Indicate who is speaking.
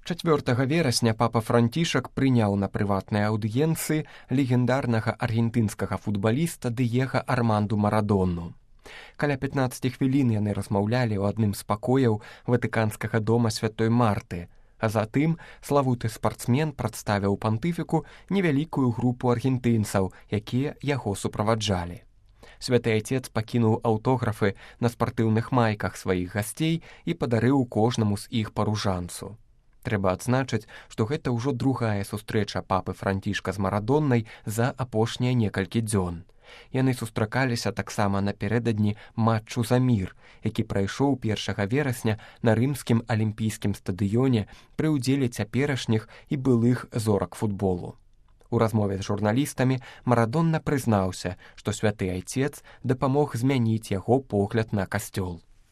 Speaker 1: 4 верасня папа Францішак прыняў на прыватнай аўдыенцыі легендарнага аргентынскага футбаліста Дыега Арманду Марадону. Каля 15 хвілін яны размаўлялі ў адным з пакояў ватыканскага дома святой Марты, а затым славуты спартсмен прадставіў пантыфіку невялікую групу аргентынцаў, якія яго суправаджалі. Святы Айцец пакінуў аўтографы на спартыўных майках сваіх гасцей і падарыў кожнаму з іх па ружанцу. Трэба адзначыць, што гэта ўжо другая сустрэча папы Францішка з Марадоннай за апошнія некалькі дзён. Яны сустракаліся таксама напярэдадні матчу за мір, які прайшоў 1 верасня на рымскім алімпійскім стадыёне пры ўдзеле цяперашніх і былых зорак футболу. У размове з журналістамі Марадонна прызнаўся, што святы Айцец дапамог змяніць яго погляд на касцёл.